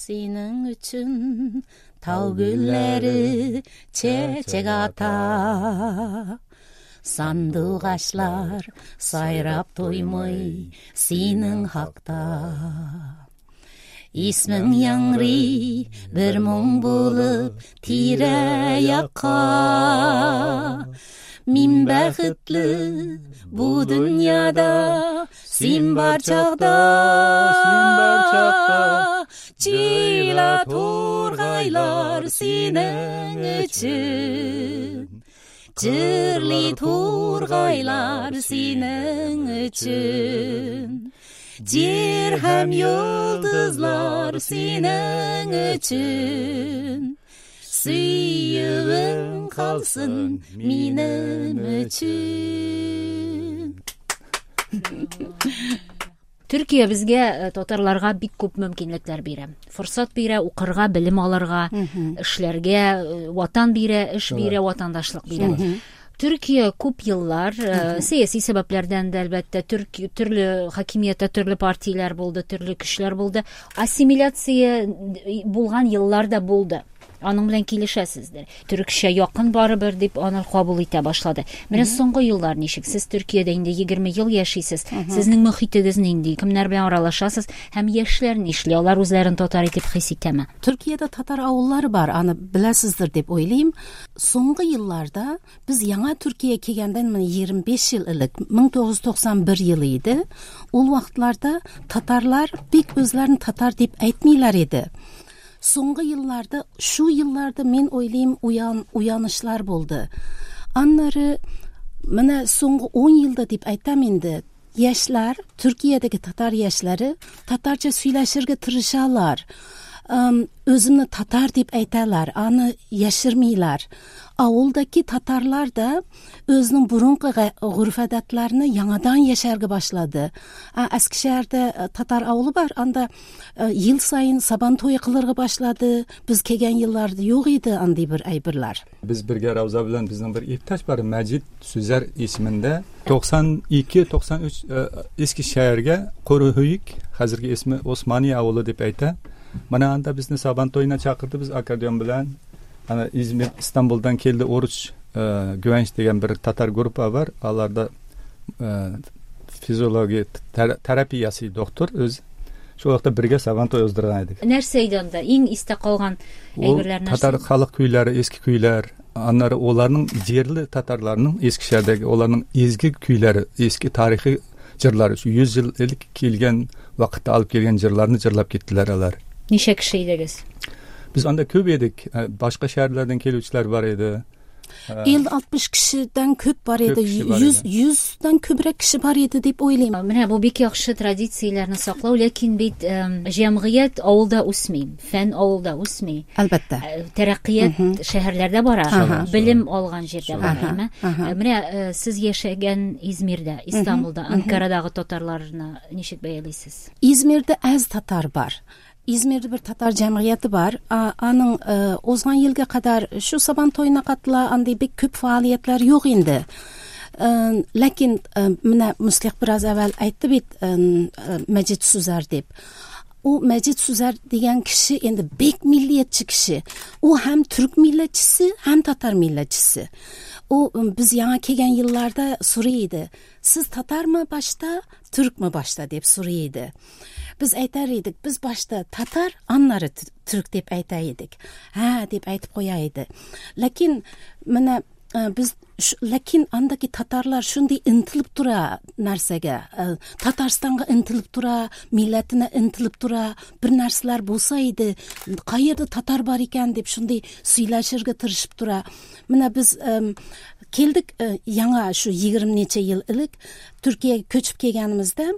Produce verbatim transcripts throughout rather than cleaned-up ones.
Синең өчен тау гөлләре чәчәк ата. Сандугачлар сайрап туймый синең хакта. Исмең яңгырый бер моң булып тирә-якка. Мин бәхетле бу дөньяда син бар чакта. Син бар чакта. Җыйла тургайлар синең өчен. Җырлый тургайлар синең өчен. Җир һәм йолдызлар синең өчен. Сөюең калсын минем өчен. Төркия безгә, э, татарларга бик күп мөмкинлекләр бирә. Форсат бирә, укырга, белем алырга, эшләргә, э, ватан бирә, эш бирә, ватандашлык бирә. Төркия күп еллар, э, сәяси сәбәпләрдән дә әлбәттә, Төрки, төрле хакимияттә төрле партияләр булды, төрле көчләр булды. Ассимиляция булган еллар да булды. Аның белән килешәсездер. Төркчә якын барыбер дип аны кабул итә башлады. Менә соңгы еллар ничек? Сез Төркиядә инде егерме ел яшисез. Сезнең мөхитегез нинди? Кемнәр белән аралашасыз? Һәм яшьләр нишли? Алар үзләрен татар итеп хис итәме? Төркиядә татар авыллары бар, аны беләсездер дип уйлыйм. Соңгы елларда без яңа Төркия килгәндән менә егерме биш ел элек, мең тугыз йөз туксан бер елы иде. Ул вакытларда татарлар бик үзләрен татар дип әйтмиләр иде. Соңгы елларда, шу елларда мин уйлыйм, уян, уянышлар булды. Аннары менә соңгы ун елда дип әйтәм инде, яшьләр, Төркиядәге татар яшьләре татарча сөйләшергә тырышалар. Эм, үземне татар дип әйтәләр, аны яшермиләр. Авылдагы татарлар да үзенең борынгы га-, гореф-гадәтләрне яңадан яшәргә башлады. А, Әскешәһәрдә, э, татар авылы бар, анда, э, ел саен сабан туе кылырга башлады. Без килгән елларда юк иде андый бер әйберләр. Без бергә Рауза белән безнең бер иптәш бар, Мәҗит Сүзәр исемендә. Туксан ике, туксан өч, э, Искешәһәргә Куруһуйк, хәзерге исеме Османия авылы дип әйтә. Менә анда безне сабан туена чакырды, без аккордеон белән. Ана Измир, Истанбулдан килде Оруч, э, Гүвәнч дигән бер татар группа бар. Аларда, э, физиология тер-, терапиясы доктор үз. Шул вакытта бергә сабан туе уздырган идек. Нәрсә иде анда? Иң истә калган Ул әйберләр нәрсә? Татар халык көйләре, эске көйләр, аннары оларның җирле татарларның Eskişehir'дәге оларның изге көйләре, эске тарихи җырлары, шу йөз ел элек килгән вакытта алып килгән җырларны җырлап киттеләр алар. Ничә кеше идегез? Без анда күп идек. Э, башка шәһәрләрдән килүчеләр бар иде. Э, Илле алтмыш кешедән күп бар Күп иде. кеше бар Йөз, иде. йөздән күбрәк кеше бар иде дип уйлыйм. Менә бу бик яхшы традицияләрне саклау, ләкин бит, эм, җәмгыять авылда үсми, фән авылда үсми. Әлбәттә. Э, тәрәккыят Мгм. шәһәрләрдә бара, Ага. белем алган җирдә бара, Ага. әйме? Ага. Э, менә, э, сез яшәгән Измирдә, Истанбулда, Мгм. Анкарадагы татарларны ничек бәялисез? Измирдә әз татар бар. Измирдә бер татар җәмгыяте бар. А, аның, э, узган елга кадәр шу сабан туена катыла, андый бик күп фаалиятләр юк инде. Э, ләкин, э, менә Муслих бераз әүвәл әйтте бит, э, э, Мәҗит Сүзәр дип. Ул Мәҗит Сүзәр дигән кеше инде бик миллиятче кеше. Ул һәм түрк милләтчесе, һәм татар милләтчесе. Ул, м, без яңа килгән елларда сорый иде. Сез татармы башта, түркме башта дип сорый иде. Без әйтәр идек, без башта татар, аннары төр-, түрк дип әйтә идек. Һә, дип әйтеп куя иде. Ләкин менә, э, без ш-, ләкин андагы татарлар шундый интилеп тора нәрсәгә, э, Татарстанга интилеп тора, милләтенә интилеп тора, бер нәрсәләр булса иде, кайердә татар бар икән дип шундый сөйләшергә тырышып тора. Менә без, эм, килдек, э, яңа шу егерме ничә ел элек Төркиягә күчеп килгәнебездә,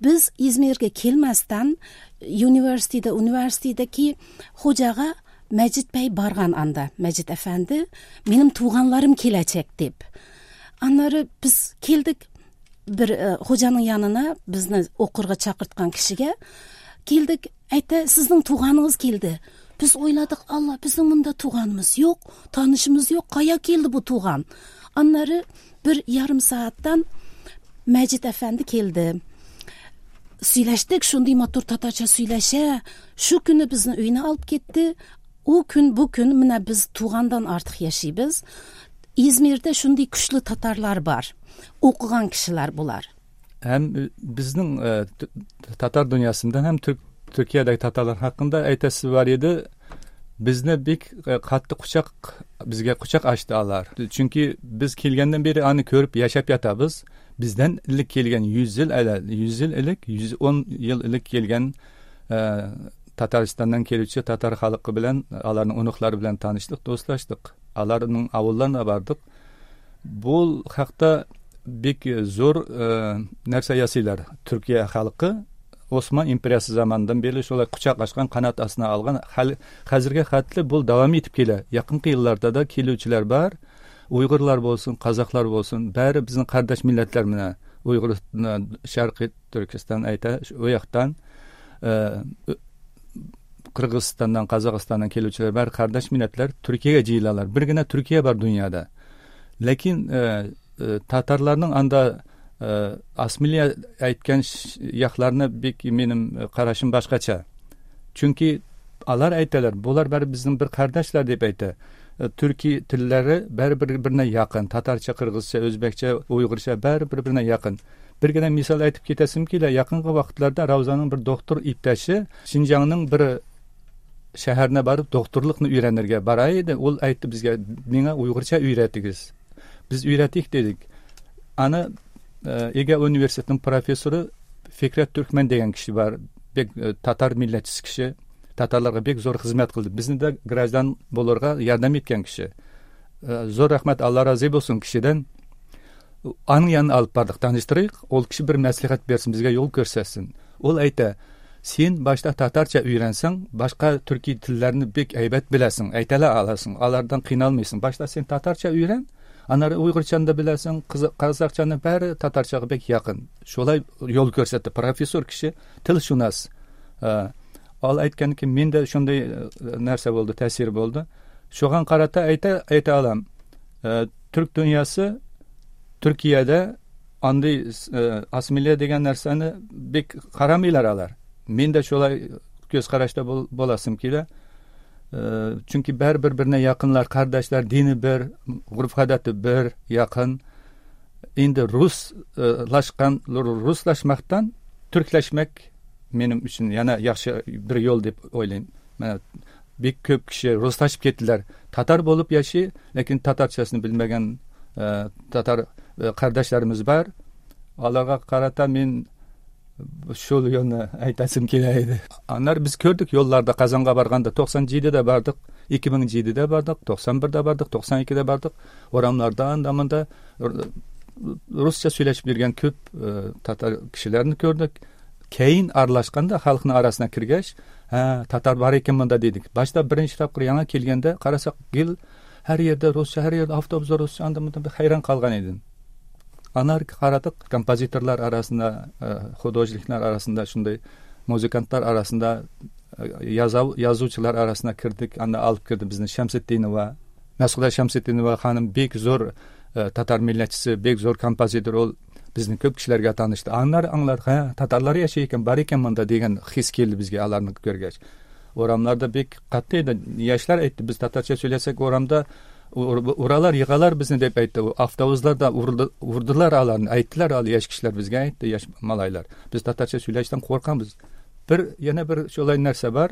без Измиргә килмәстән университетта, университеттәге хуҗага Мәҗит бәй барган анда, Мәҗит әфәнде, минем туганларым киләчәк дип. Аннары без килдек бер, э, хуҗаның янына, безне укырга чакырткан кешегә килдек, әйтә, сезнең туганыгыз килде. Без уйладык, Алла, безнең монда туганыбыз юк, танышыбыз юк, кая килде бу туган? Аннары бер ярым сәгатьтән Мәҗит әфәнде килде. Сөйләштек, шундый матур татарча сөйләшә. Шу көне безне өенә алып китте. У көн, бу көн менә без тугандан артык яшибез. İzmir'de шундый көчле татарлар бар. Укыган кешеләр булар. Hem bizning e, Tatar dünyasından hem Türk Türkiye'deki Tatarlar hakkında aytasi var edi. Bizni bek qattiq quchoq, bizga quchoq ochdi ular. Chunki biz kelgandan beri ani ko'rib yashab yotamiz. Bizdan ilk kelgan yuz yil yuz yil ilk yuz o'n yil ilk kelgan e, Tataristandan keluvchi tatar xalqi bilan, ularning unuqlari bilan tanishdik, do'stlashdik. Ularning ovullarına bordik. Bu haqda bek zo'r e, narsa yasaylar. Turkiya xalqi Osman imperiyasi zamanından beri şolay quchoq ochgan, qanot ostına olgan. Hozirga xatli bu davom etib keladi. Yaqinqi yillarda da keluvchilar bor. Uyg'urlar bo'lsin, qozoqlar bo'lsin, bari bizning qardosh millatlar mana Uyg'ur, Sharqiy Turkiston ayta, u yoqdan e, Qirg'izistondan, Qozog'istondan keluvchilar bari qardosh millatlar Turkiyaga jiyiladilar. Birgina Turkiya bor dunyoda. Lekin e, e, tatarlarning anda e, assimilya aytgan yoqlarini bek menim qarashim boshqacha. Chunki ular aytalar, bular bari bizning bir qardoshlar deb aytadi. Turkiy tillari bari bir-birine yaqin. Tatarcha, qirg'izcha, o'zbekcha, uyg'urcha bari bir-birine yaqin. Birgina misol aytib ketasim keladi. Yaqinqi vaqtlarda Ravzaning bir doktor iptashi Xinjiangning bir shaharına borib doktorlikni o'rganirga borar edi. U aytdi bizga, menga uyg'urcha o'yratingiz. Biz o'yratdik dedik. Ana Ege Universitetining professori Fikret Türkmen degan kishi bor. Bek tatar millatchisi kishi. Tatarlarga bek zo'r xizmat qildi. Bizni de grajdan bo'lurga yordam etgan kishi. Zo'r rahmat, Alloh rozi bo'lsin kishidan. Aning yanına olib bordik, tanishtirdik. Ol kishi bir maslahat bersin, bizga yo'l ko'rsatsin. Ol ayta, sen başta tatarcha o'yransang, boshqa turkiy tillarini bek aybat bilasan, aytala olasan, ulardan qiynalmaysan. Başta sen tatarcha o'yran, anari uyg'urchani da bilasan, qozoqchani bari tatarchaga bek yaqin. Shulay yo'l ko'rsatdi professor kishi, tilshunos. Ol aytganki, menda shunday narsa bo'ldi, ta'sir bo'ldi. Shunga qarata ayta ayta olam. Turk dunyosi Turkiyada anday assimilya degan narsani bek qaramaylar ular. Menda shulay ko'z qarashda bo'lasim keladi. Chunki bar bir-birine yaqinlar, qardoshlar, dini bir, urf-odati bir, yaqin. Endi ruslashgan, ruslashmoqdan turklashmak menim uchun yana yaxshi bir yo'l deb o'ylayman. Mana bek ko'p kishi ruslashib ketdilar. Tatar bo'lib yashay, lekin tatarchasini bilmagan e, tatar e, qardoshlarimiz bor. Ularga qarata men shu yo'lni aytasim keladi. Anlar biz ko'rdik yo'llarda, Qozonga borganda to'qson yettida bordik, ikki ming yettida bordik, to'qson birda bordik, to'qson ikkida bordik. O'ramlarda anda munda ruscha so'ylashib yurgan ko'p e, tatar kishilarni ko'rdik. Keyin aralashganda xalqning arasına kirgach, ha, tatar bor ekan bunda dedik. Boshda birinchi topqir yangi kelganda qarasak, gil har yerda ruscha, har yerda avtobusda ruscha, anda munda bir hayron qolgan edim. Anar qaradik, kompozitorlar arasında, xudojniklar arasında, shunday muzikantlar arasında, yozuvchilar arasına kirdik. Anda olib kirdi bizni Shamsiddinova, Mas'uda Shamsiddinova xonim bek zo'r tatar millatchisi, bek zo'r kompozitor, ol bizni ko'p kishilarga tanishdi. Anlar anglar, ha, tatarlar yashay ekan, bor ekan bunda degan his keldi bizga ularni ko'rgach. O'ramlarda bek qattiq edi. Yoshlar aytdi, biz tatarcha so'ylasak o'ramda uralar, yig'alar bizni deb aytdi. Avtobuslarda urdilar ularni, aytdilar, al yosh kishilar bizga aytdi, yosh malaylar. Biz tatarcha so'ylashdan qo'rqamiz. Bir yana bir shulay narsa bor.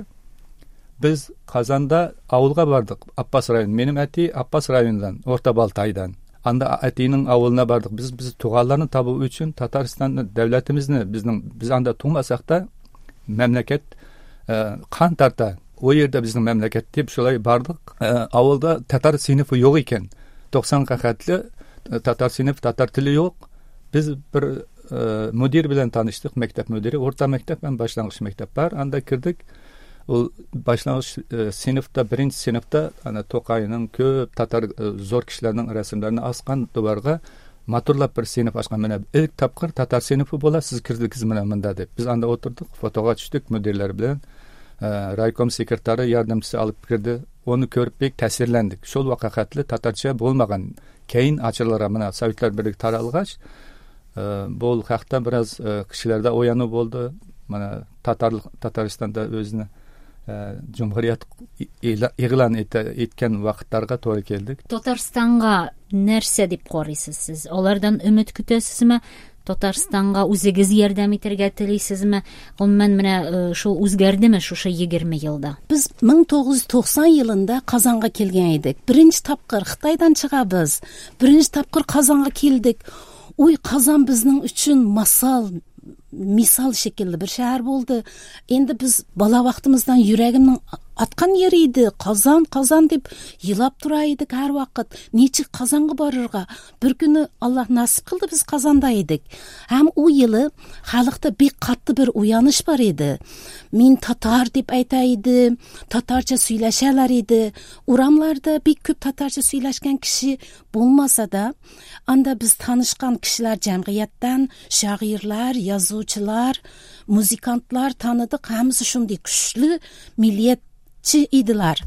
Biz Qozonda ovulga bordik, Abbas rayon. Menim ati Abbas rayonidan, O'rta Boltaydan. Anda atining ovuluna bordik. Biz biz tug'anlarni topish uchun Tataristonning davlatimizni, bizning biz anda tug'masak da mamlakat e, qon tarta u yerda bizning mamlakat deb shulay bordik. E, ovulda tatar sinfi yo'q ekan. to'qsonga xatli tatar sinf, tatar tili yo'q. Biz bir e, mudir bilan tanishdik, maktab mudiri, o'rta maktab ham boshlang'ich maktab bor. Anda kirdik. U boshlang'ich e, sinfda, birinchi sinfda ana To'qayning ko'p tatar e, zo'r kishilarning rasmlarini osgan devorga maturlab bir sinf ochgan. Mana ilk topqir tatar sinfi bo'ladi, siz kirdingiz mana bunda deb. Biz anda o'tirdik, fotoga tushdik mudirlar bilan. E, raykom sekretari yordamchisi olib kirdi. Uni ko'rib bek ta'sirlandik. Shul vaqtli tatarcha bo'lmagan. Keyin ochilgan mana Sovetlar Birligi taralg'ach, Бу хакта бераз кешеләрдә уяну булды. Менә Татар Татарстанда үзен җөмһүрият игълан иткән вакытларга туры килдек. Татарстанга нәрсә дип карыйсыз сез? Алардан өмет көтәсезме? Татарстанга үзегез ярдәм итәргә телисезме? Гомумән менә шул үзгәрдеме шушы егерме елда? Без мең тугыз йөз туксан елында Казанга килгән идек. Беренче тапкыр Хытайдан чыгабыз. Беренче тапкыр Казанга килдек. Уй, Казан безнең өчен масал, мисал шикелле бер шәһәр булды. Инде без бала вакытыбыздан йөрәгемнең аткан yeri иде. Казан, Казан дип елап тора идек һәр вакыт. Ничек Казанга барырга? Бер көне Аллаһ насип кылды, без Казанда идек. Һәм у елы халыкта бик катты бер уяныш бар иде. Мин татар дип әйтә иде, татарча сөйләшәләр иде. Урамларда бик күп татарча сөйләшкән кеше булмаса да, анда без танышкан кешеләр җәмгыятьтән, шагыйрьләр, язучылар, музыкантлар таныдык. Һәммәсе шундый көчле миллият иделәр.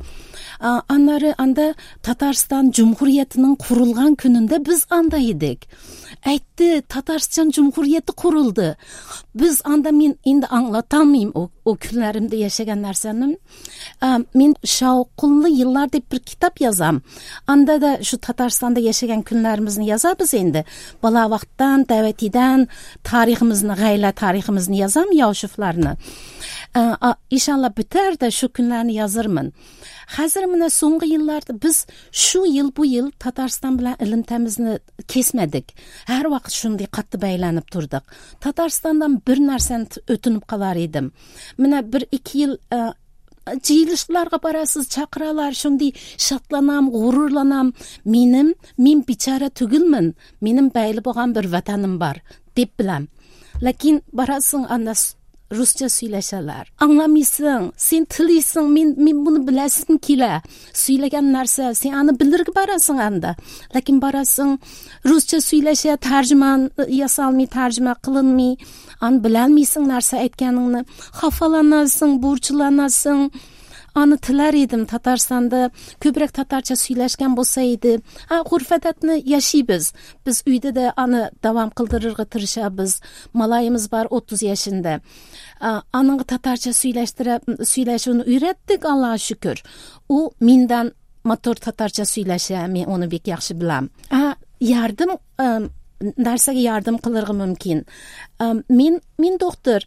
Аннары анда Татарстан Cumhuriyetining kurulgan kununda biz anda edik. Aytdi, Tatarstan Cumhuriyeti kuruldu. Biz anda men endi anlatamıyım o, o kunlarimda yaşagan narsani. Men Şavqunli yillar deb bir kitob yozam. Anda da shu Tatarstanda yaşagan kunlarimizni yozamiz endi. Bola vaqtdan, davatidan tariximizni, g'ayla tariximizni yozam, Yoshiflarni. İnşallah biter de şu kunlarni yozarman. Hozir mana so'nggi yillarda biz shu yil bu yil Tatarstan bilan ilimtamizni kesmadik. Har vaqt shunday qattiq baylanib turdik. Tatarstandan bir narsani o'tinib qolar edim. Mana bir ikki yil jiyilishlarga borasiz, chaqiralar, shunday shotlanam, g'ururlanam. Menim, men bechora tugilman. Menim bayli bo'lgan bir vatanim bor deb bilam. Lekin borasing anda Rusça söyləşələr. Anlamıyorsun, sen tiliysin, men, men bunu biləsim kelə. Söyləgən narsa, sen anı bilir ki barasın anda. Lakin barasın, Rusça söyləşə, tərcüman yasalmay, tərcümə qılınmay, an biləlmiysin narsa aytganingni. Xafalanasın, burçlanasın. Anı tilər edim Tatarstanda, köprək tatarça söyləşkən bolsa edi. Ha, urf-odatni yaşaymiz. Biz uyda da anı davam qildirishga tirishamiz. Malayimiz bor o'ttiz yaşında. Anıngı tatarça söyləşdirib, söylәшүне öyrətdik, Allah'a şükür. U mendan motor tatarça söyləşə, men onu bek yaxshi bilam. Ha, yardım narsaga yardım qilirg'i mumkin. Men men doktor.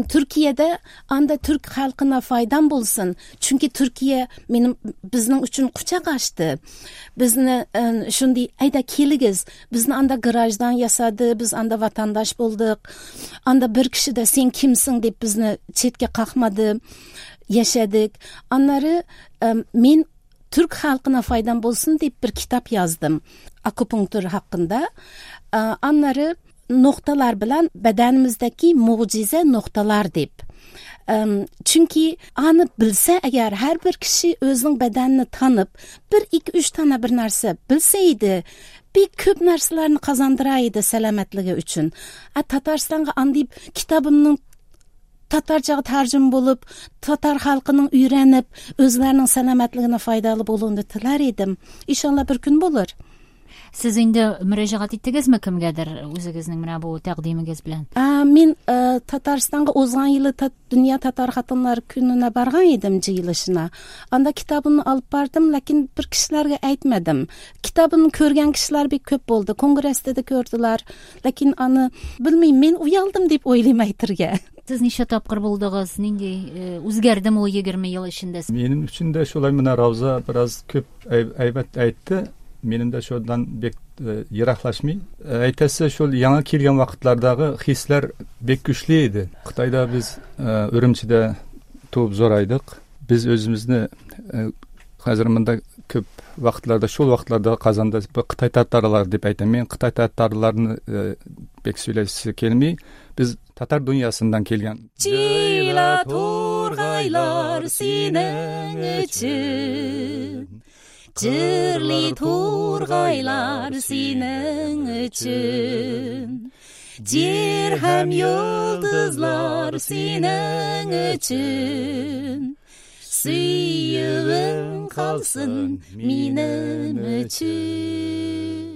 Türkiye'de anda Türk xalqına faydam bo'lsin. Chunki Türkiye menim bizning uchun quchoq ochdi. Bizni shunday ayda keligiz. Bizni anda garajdan yasadi, biz anda vatandaş bo'ldik. Anda bir kishi da sen kimsin deb bizni chetga qoqmadi. Yashadik. Anlari men Türk xalqına faydam bo'lsin deb bir kitob yozdim. Akupunktur haqqında. Anları noktalar bilan bedenimizdeki mucize noktalar deb. Çünkü anı bilse eğer her bir kişi özünün bedenini tanıp bir iki üç tane bir narsa bilseydi bir köp narsalarni kazandıraydı selametligi üçün. A, Tatarstan'a andayıp kitabımın tatarcaga tercüm bulup Tatar halkının öğrenip özlerinin selametligine faydalı bolunu tilar edim. İnşallah bir gün bulur. Siz endi müracaat etdingizmi kimgadir o'zingizning mana bu taqdimingiz bilan? Men Tatarstanga o'zgan yili Dünya Tatar Xatinlar kunina borgan edim jiyilishina. Anda kitabimni olib bordim, lekin bir kishilarga aytmadim. Kitabimni ko'rgan kishilar bek ko'p bo'ldi. Kongressda da ko'rdilar. Lekin ani bilmayman, men uyaldim deb o'ylayman aytirga. Siz necha topqir bo'ldingiz? Nendek o'zgardimi u yigirma yil ichida? Mening uchun da shulay mana Ravza biroz ko'p aybat aytdi. Menim de şuradan bek e, yiraklaşmay. E, aytasi şol yangi kelgan vaqtlardagi hislar bek kuchli edi. Xitoyda biz e, Urumchida tug'ib zo'raydik. Biz o'zimizni e, hozir munda ko'p vaqtlarda şol vaqtlarda Qozonda Xitoy tatarlar deb aytaman. Men Xitoy tatarlarini e, bek so'ylashisi kelmay, biz tatar dunyosidan kelgan. Jila turg'aylar sening uchun, Jirli turg'aylar sening uchun, Jer ham yulduzlar sening uchun, Suyug'ing qolsin mening uchun.